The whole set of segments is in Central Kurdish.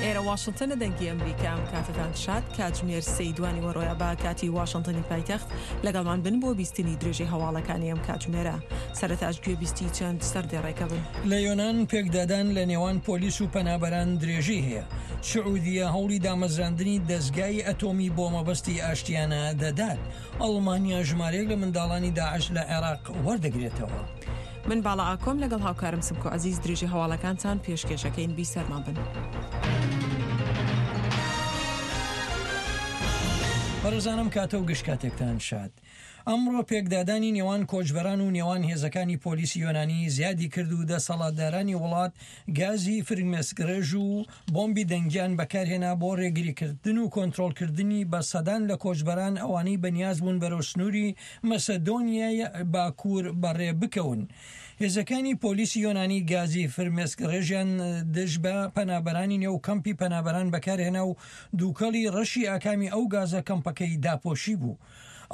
ئێرە واشنتنە دەنگی ئەمریکا ئەم کاتەتان شاد کاتژمێر سێی دوانی وەڕۆیە بە کاتی واشنتنی پایتەخت لەگەڵمان بن بۆ بیستنی درێژەی هەواڵەکانی ئەم کاتژمێرە سەرەتاش گوێ بیستی چەند سەردێڕێکە بن. لە یۆنان پێکدادان لە نێوان پۆلیس و پەنابەران درێژەی هەیە. سعودیە هەوڵی دامەزراندنی دەزگای ئەتۆمی بۆ مەبەستی ئاشتیانە دەدات. ئەڵمانیا ژمارەیەک لە منداڵانی داعش لە عێراق وەردەگرێتەوە. من باڵا ئاکۆم لەگەڵ هاوکارم سمکۆ عەزیز درێژەی هەواڵەکانتان پێشکێشەکەین بیسەرمان بن. بەڕێزانم کاتە و گشت کاتێکتان شاد. ئەمڕۆ پێکدادانی نێوان کۆچبەران و نێوان هێزەکانی پۆلیسی یۆنانی زیادی کرد و دەسەڵاتدارانی وڵات گازی فرمێسکڕێژ و بۆمبی دەنگیان بەکارهێنا بۆ ڕێگریکردن و کۆنترۆڵکردنی بە سەدان لە کۆچبەران ئەوانەی بەنیاز بوون بەرەو سنووری مەسەدۆنیای باکوور بەڕێ بکەون. هێزەکانی پۆلیسی یۆنانی گازی فرمێسکڕێژیان دژ بە پەنابەرانی نێو کەمپی پەنابەران بەکارهێنا و دووکەڵی ڕەشی ئاکامی ئەو گازە کەمپەکەی داپۆشیبوو.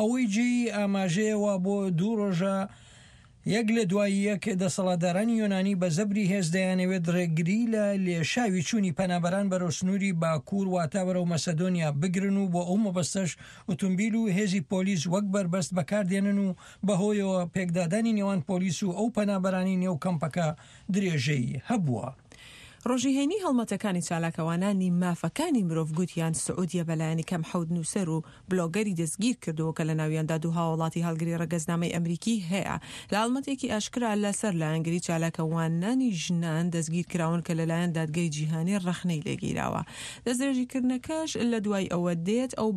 ئەوەی جێی ئاماژەیە وا بۆ دوو ڕۆژە یەک لە دوای یەک دەسەڵاتدارانی یۆنانی بە زەبری هێز دەیانەوێت ڕێگری لە لێشاوی چوونی پەنابەران بەرەو سنووری باکوور واتە بەرەو مەسەدۆنیا بگرن و بۆ ئەو مەبەستەش ئوتومبیل و هێزی پۆلیس وەک بەربەست بەکاردێنن و بەهۆیەوە پێکدادانی نێوان پۆلیس و ئەو پەنابەرانی نێو کەمپەکە درێژەی هەبووە. ڕۆژی هەینی هەڵمەتەکانی چالاکەوانانی مافەکانی مرۆڤ گوتیان سعودیە بەلایەنی کەم حەوت نووسەر و بلۆگەری دەستگیرکردووە کە لەناویاندا دوو هاوڵاتی هەڵگری ڕەگەزنامەی ئەمریکی هەیە لە هەڵمەتێکی ئاشکرا لەسەر لایەنگری چالاکەوانانی ژنان دەستگیرکراون کە لەلایەن دادگای جیهانی ڕەخنەی لێگیراوە. دەستدرێژیکردنەکەش لە دوای ئەوە دێت ئەو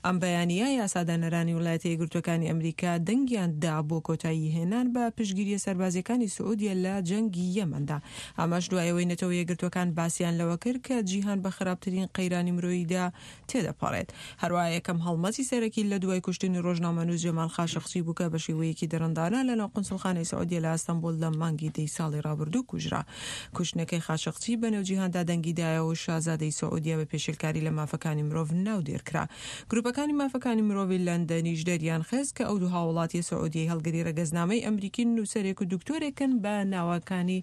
ئەم بەیانییە یاسادانەرانی ویلایەتە یەکگرتووەکانی ئەمریکا دەنگیان دا بۆ کۆتاییهێنان بە پشتگیرییە سەربازییەکانی سعودیە لە جەنگی یەمەندا. ئەمەش دوای ئەوەی نەتەوە یەکگرتووەکان باسیان لەوە کرد کە جیهان بە خراپترین قەیرانی مرۆییدا تێدەپەڕێت. هەروەها یەکەم هەڵمەتی سەرەکی لە دوای کوشتنی ڕۆژنامەنووس جەمال خاشقچی بوو کە بە شێوەیەکی دڕندانە لەناو قونسوڵخانەی سعودیە لە ئەستەنبوڵ لە مانگی دەی ساڵی ڕابردوو کوژرا. کوشتنەکەی خاشقچی بەنێو جیهاندا دەنگی دایەوە و شازادەی سعودیە بە پێشێلکاری لە مافەکانی مرۆڤ ناودێر کرا. گروپەکانی مافەکانی مرۆڤی لەندەنیش دەریانخست کە ئەو دوو هاووڵاتییە سعودیەی هەڵگری ڕەگەزنامەی ئەمریکین نووسەرێک و دکتۆرێکن بە ناوەکانی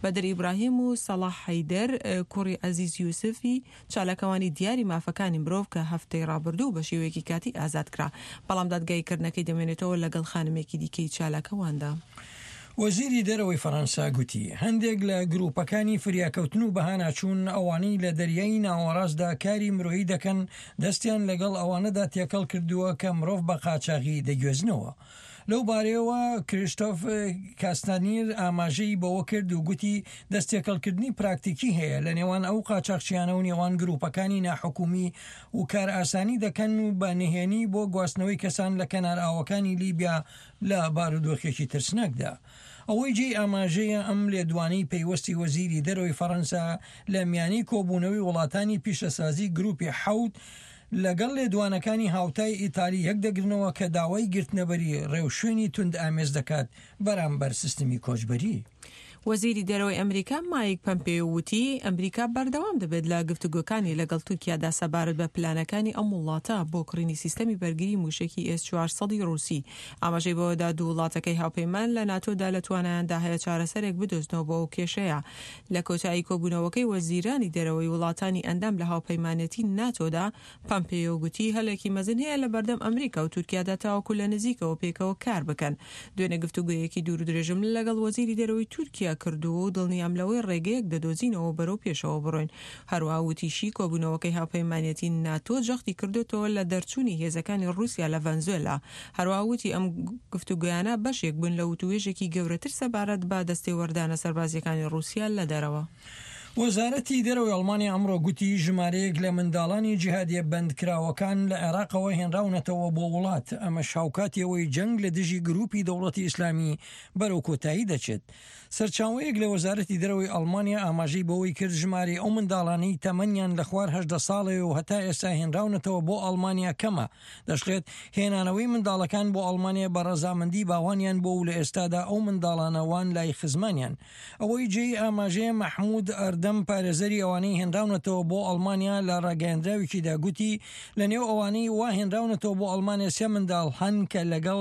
بەدر ئیبراهیم و سەڵاح حەیدەر کوڕی عەزیز یوسفی چالاکوانی دیاری مافەکانی مرۆڤ کە هەفتەی ڕابردوو بە شێوەیەکی کاتی ئازاد کرا، بەڵام دادگاییکردنەکەی دەمێنێتەوە لەگەڵ خانمێکی دیکەی چالاکواندا. وەزیری دەرەوەی فەرەنسا گوتی، هەندێک لە گرووپەکانی فریاکەوتن و بەهاناچوون ئەوانەی لە دەریای ناوەڕاستدا کاری مرۆیی دەکەن دەستیان لەگەڵ ئەوانەدا تێکەڵ کردووە کە مرۆڤ بە قاچاغی دەگوێزنەوە. لەو بارەیەوە کریستۆف کاستانیر ئاماژەی بەوە کرد و گوتی دەستتێکەڵکردنی پراکتیکی هەیە لە نێوان ئەو قاچاخچیانە و نێوان گروپەکانی ناحکومی و کارئاسانی دەکەن و بە نهێنی بۆ گواستنەوەی کەسان لە کەنارئاوەکانی لیبیا لە بارودۆخێکی ترسناکدا. ئەوەی جێی ئاماژەیە ئەم لێدوانەی پەیوەستی وەزیری دەرەوەی فەرەنسا لە میانەی کۆبوونەوەی وڵاتانی پیشەسازی گروپی حەوت لەگەڵ لێدوانەکانی هاوتای ئیتالی یەکدەگرنەوە کە داوای گرتنەبەری ڕێوشوێنی توندئامێز دەکات بەرامبەر سیستمی کۆچبەری. وەزیری دەرەوەی ئەمریکا مایک پەمپێیۆ وتی، ئەمریکا بەردەوام دەبێت لە گفتوگۆکانی لەگەڵ تورکیادا سەبارەت بە پلانەکانی ئەم وڵاتە بۆ کڕینی سیستەمی بەرگری موشەکی ئێس 400 ی ڕووسی. ئاماژەی بەوەدا دوو وڵاتەکەی هاوپەیمان لە ناتۆدا لە توانایاندا هەیە چارەسەرێک بدۆزنەوە بۆ ئەو کێشەیە. لە کۆتایی کۆبوونەوەکەی وەزیرانی دەرەوەی وڵاتانی ئەندام لە هاوپەیمانێتی ناتۆدا، پەمپێیۆ گوتی هەلێکی مەزن هەیە لە بەردەم ئەمریکا و تورکیادا تاوەکو لە نزیکەوە پێکەوە کار بکەن. دوێنێ گفتوگۆیەکی دوورودرێژم لەگەڵ وەزیری دەرەوەی تورکیا کردووە و دڵنیام لەوەی ڕێگەیەک دەدۆزینەوە بەرەو پێشەوە بڕۆین. هەروەها وتیشی کۆبوونەوەکەی هاوپەیمانێتی ناتۆ جەختی کردۆتەوە لە دەرچوونی هێزەکانی ڕووسیا لە ڤەنزوێلا. هەروەها وتی ئەم گفتوگۆیانە بەشێک بوون لە وتووێژێکی گەورەتر سەبارەت بە دەستێوەردانە سەربازییەکانی ڕووسیا لە دەرەوە. وەزارەتی دەرەوەی ئەڵمانیا ئەمڕۆ گوتی ژمارەیەک لە منداڵانی جیهادیە بەندکراوەکان لە عێراقەوە هێنراونەتەوە بۆ وڵات، ئەمەش هاوکاتی ئەوەی جەنگ لە دژی گروپی دەوڵەتی ئیسلامی بەرەو کۆتایی دەچێت. سەرچاوەیەک لە وەزارەتی دەرەوەی ئەڵمانیا ئاماژەی بەوەی کرد ژمارەی ئەو منداڵانەی تەمەنیان لە خوار 18 ساڵەوە و هەتا ئێستا هێنراونەتەوە بۆ ئەڵمانیا کەمە، دەشڵێت، هێنانەوەی منداڵەکان بۆ ئەڵمانیا بە ڕەزامەندی باوانیان بووە و لە ئێستادا ئەو منداڵانە وان لای خزمانیان. ئەوەی جێی ئاماژەیە مەحمود ئەردەم. ئەردەم پارێزەری ئەوانەی هێنراونەتەوە بۆ ئەڵمانیا لە ڕاگەیەندراوێکیدا گوتی لە نێو ئەوانەی وا هێنراونەتەوە بۆ ئەڵمانیا سێ منداڵ هەن کە لەگەڵ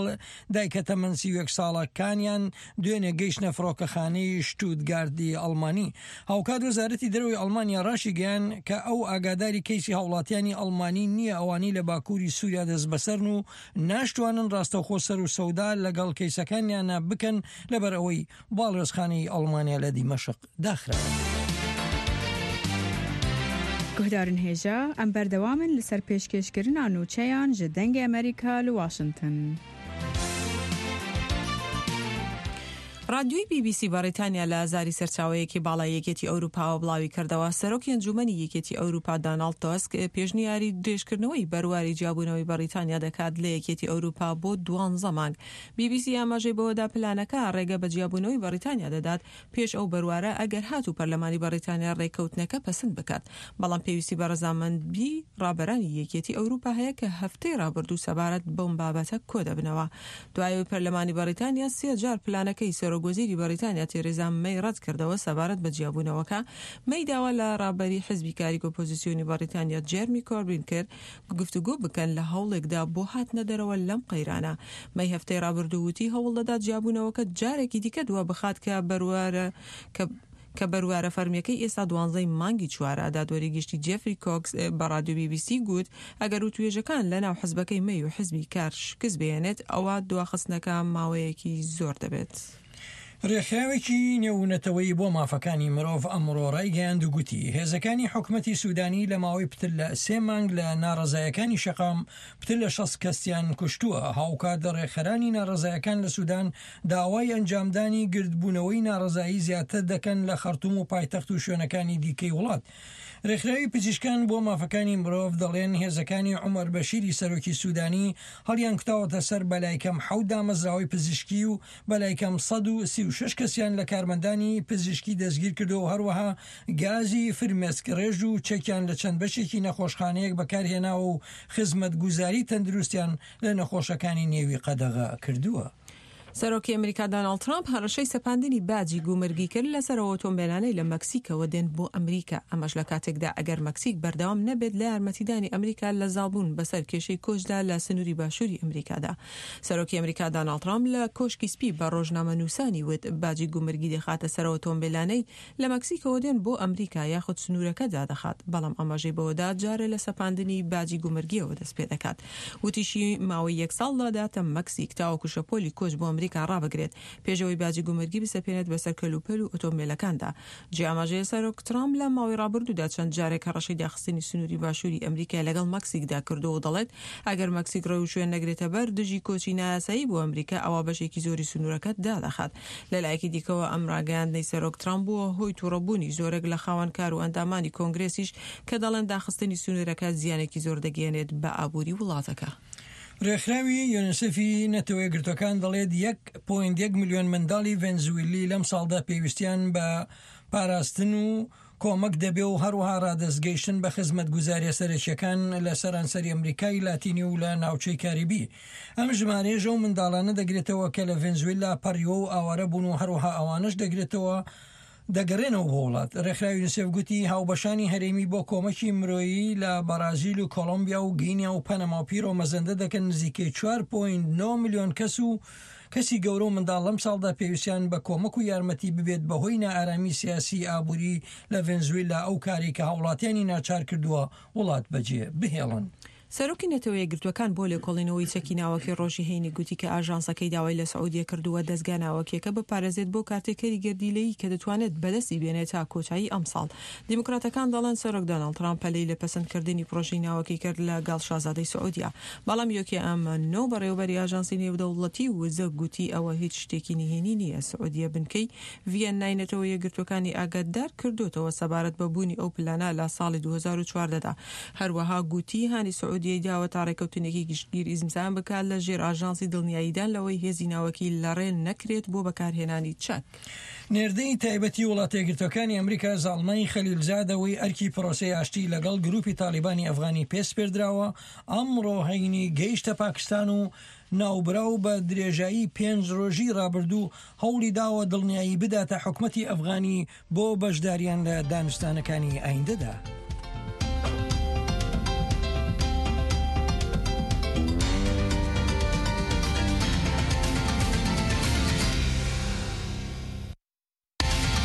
دایکە تەمەن 31 ساڵەکانیان دوێنێ گەیشتنە فڕۆکەخانەی شتوتگاردی ئەڵمانی. هاوکات وەزارەتی دەرەوەی ئەڵمانیا ڕاشیگەیاند کە ئەو ئاگاداری کەیسی هاوڵاتیانی ئەڵمانی نییە ئەوانەی لە باکووری سووریا دەستبەسەرن و ناشتوانن ڕاستەوخۆ سەر و سەودا لەگەڵ کەیسەکانیانە بکەن لەبەر ئەوەی باڵیۆزخانەی ئەڵمانیا لە دیمەشق داخراوە. Guhdarên hêja, em berdewam in li ser pêşkêşkirina nûçeyan ji Dengê Amerîka li Washington. ڕادیۆی بی بی سی بەڕیتانیا لە زاری سەرچاوەیەکی باڵای یەکێتی ئەوروپاوە بڵاویکردەوە، سەرۆکی ئەنجوومەنی یەکێتی ئەوروپا داناڵد تۆسک پێشنیاری درێژکردنەوەی بەرواری جیابوونەوەی بەڕیتانیا دەکات لە یەکێتی ئەوروپا بۆ دوانزە مانگ. بی بی سی ئاماژەی بەوەدا پلانەکە ڕێگە بە جیابوونەوەی بەڕیتانیا دەدات پێش ئەو بەروارە ئەگەر هاتوو پەرلەمانی بەڕیتانیا ڕێککەوتنەکە پەسند بکات، بەڵام پێویستی بە ڕەزامەندی ڕابەرانی یەکێتی ئەوروپا هەیە کە هەفتەی ڕابردوو سەبارەت بەم بابەتە کۆدەبنەوە. دوای ئەوەی پەرلەمانی بەڕیتانیا سێ جار پلانەکەی سەرۆکوەزیری بەڕیتانیا تێرێزا مەی ڕەتکردەوە سەبارەت بە جیابوونەوەکە، مەی داوا لە ڕابەری حزبی کاری ئۆپۆزیسیۆنی بەڕیتانیا جێرمی کۆربین کرد گفتوگۆ بکەن لە هەوڵێکدا بۆ هاتنە دەرەوە لەم قەیرانە. مەی هەفتەی ڕابردوو وتی هەوڵدەدات جیابوونەوەکە جارێکی دیکە دوابخات کە بەروارە کە کە بەروارە فەرمییەکەی ئێستا دوانزەی مانگی چوارە. دادوەری گشتی جێفری کۆکس بە ڕادیۆ بی بی سی گوت ئەگەر وتوێژەکان لەناو حزبەکەی مەی و حزبی کار شکست بهێنێت ئەوا دواخستنەکە ماوەیەکی زۆر دەبێت. رێکخراوێکی نێونەتەوەیی بۆ مافەکانی مرۆڤ ئەمڕۆ رایگەیاند و گوتی، هێزەکانی حکومەتی سودانی لە ماوەی پتر لە سێ مانگ لە ناڕەزایەکانی شەقام پتر لە 60 کەسیان کوشتووە. هاوکات رێکخەرانی ناڕەزایەکان لە سودان داوای ئەنجامدانی گردبوونەوەی ناڕەزایی زیاتر دەکەن لە خەرتوم و پایتەخت و شوێنەکانی دیکەی وڵات. رێکخراوی پزیشکان بۆ مافەکانی مرۆڤ دەڵێن هێزەکانی عومەر بەشیری سەرۆکی سودانی هەڵیانکوتاوەتە سەر بەلایکەم حەوت دامەزراوەی پزیشکی و بەلایکەم 136 کەسیان لە کارمەندانی پزیشکی دەستگیرکردووە و هەروەها گازی فرمێسکڕێژ و چەکیان لە چەند بەشێکی نەخۆشخانەیەک بەکارهێناوە و خزمەتگوزاری تەندروستیان لە نەخۆشەکانی نێوی قەدەغە کردووە. سەرۆکی ئەمریکا داناڵد ترامپ هەڕەشەی سەپاندنی باجی گومرگی کرد لەسەر ئەو ئۆتۆمبێلانەی لە مەکسیکەوە دێن بۆ ئەمریکا، ئەمەش لە کاتێکدا ئەگەر مەکسیک بەردەوام نەبێت لە یارمەتیدانی ئەمریکا لە زاڵبوون بەسەر کێشەی کۆچدا لە سنووری باشووری ئەمریکادا. سەرۆکی ئەمریکا داناڵد ترامپ لە کۆشکی سپی بە ڕۆژنامەنووسانی وت باجی گومرگی دەخاتە سەر ئۆتۆمبێلانەی لە مەکسیکەوە دێن بۆ ئەمریکا یاخود سنوورەکە دادەخات، بەڵام ئاماژەی بەوەدا جارێ لە سەپاندنی باجی گومرگییەوە دەستپێدەکات. وتیشی، ماوەی یەک ساڵ دەداتە مەکسیک تاوەکو شەپۆلی کۆچ بۆ ئەمریکا ڕابگرێت، پێش ئەوەی باجی گومرگی بسەپێنێت بەسەر کەلوپەل و ئۆتۆمبێلەکاندا. جێی ئاماژەیە سەرۆک ترامپ لە ماوەی ڕابردوودا چەند جارێک هەڕەشەی داخستنی سنووری باشووری ئەمریکای لەگەڵ مەکسیکدا کردووە و دەڵێت ئەگەر مەکسیک ڕێوشوێن نەگرێتەبەر دژی کۆچی نایاسایی بۆ ئەمریکا ئەوا بەشێکی زۆری سنوورەکە دادەخات. لەلایەکی دیکەوە ئەم ڕاگەیاندنەی سەرۆک ترامپ بووە هۆی توڕەبوونی زۆرێک لە خاوەن کار و ئەندامانی کۆنگرێسیش کە دەڵێن داخستنی سنوورەکە زیانێکی زۆر دەگەیەنێت بە ئابووری وڵاتەکە. رێکخراوی یونیسێفی نەتەوەیەکگرتووەکان دەڵێت یەک پۆینت یەک ملیۆن منداڵی ڤەنزویلی لەمساڵدا پێویستیان بە پاراستن و کۆمەک دەبێ و هەروەها ڕادەست گەیشتن بە خزمەتگوزاریە سەرەکیەکان لە سەرانسەری ئەمریکای لاتینی و لە ناوچەی کاریبی. ئەم ژمارەیەش ئەو منداڵانە دەگرێتەوە کە لە ڤێنزویلا پەڕیوە و ئاوارە بوون و هەروەها ئەوانەش دەگرێتەوە دەگەرێنەوە بۆ وڵات. ڕێکخراوی یونیسێف گوتی هاوبەشانی هەرێمی بۆ کۆمەکی مرۆیی لە بەڕازیل و کۆڵۆمبیا و گینیا و پەنەما و پیرۆ مەزەندە دەکەن نزیکەی 4.9 ملیۆن کەس و کەسی گەورە و منداڵ لەمساڵدا پێویستیان بە کۆمەک و یارمەتی ببێت بەهۆی نائارامی سیاسی ئابووری لە ڤەنزویلا ئەو کارەی کە هاوڵاتیانی ناچار کردووە وڵات بەجێ بهێڵن. سەرۆکی نەتەوە یەکگرتووەکان بۆ لێکۆڵینەوەی چەکی ناوەکی ڕۆژی هەینی گوتی کە ئاژانسەکەی داوای لە سعودیە کردووە دەزگا ناوەکیەکە بپارێزێت بۆ کارتێکەری گەردیلەیی کە دەتوانێت بەدەستی بێنێت تا کۆتایی ئەمساڵ. دیموکراتەکان دەڵێن سەرۆک دۆناڵد ترامپ پەلەی لە پەسەندکردنی پرۆژەی ناوەکی کرد لە گەڵ شازادەی سعودیە، بەڵام یۆکیا ئامانۆ بەڕێوەبەری ئاژانسی نێودەوڵەتی وزە گوتی ئەوە هیچ شتێکی نهێنی نییە سعودیە بنکەی ڤیەننای نەتەوە یەکگرتووەکانی ئاگادار کردۆتەوە سەبارەت بە بوونی ئەو پلانە لە ساڵی 2014 دا. هەروەها گوتی هانی سعودیە. سعودیەی داوە تا ڕێکەوتنێکی گشتگیر ئیزمزان بکات لە ژێر ئاژانسی دڵنیاییدان لەوەی هێزی ناوەکی لەڕێ نەکرێت بۆ بەکارهێنانی چەک. نێردەی تایبەتی وڵاتەیەکگرتووەکانی ئەمریکا زاڵمای خەلیلزاد ئەوەی ئەرکی پرۆسەی ئاشتی لەگەڵ گروپی تاڵیبانی ئەفغانی پێ سپێردراوە، ئەمڕۆ هەینی گەیشتە پاکستان و ناوبراو بە درێژایی پێنج رۆژی رابردوو هەوڵی داوە دڵنیایی بداتە حکومەتی ئەفغانی بۆ بەشداریان لە دانوستانەکانی ئایندەدا.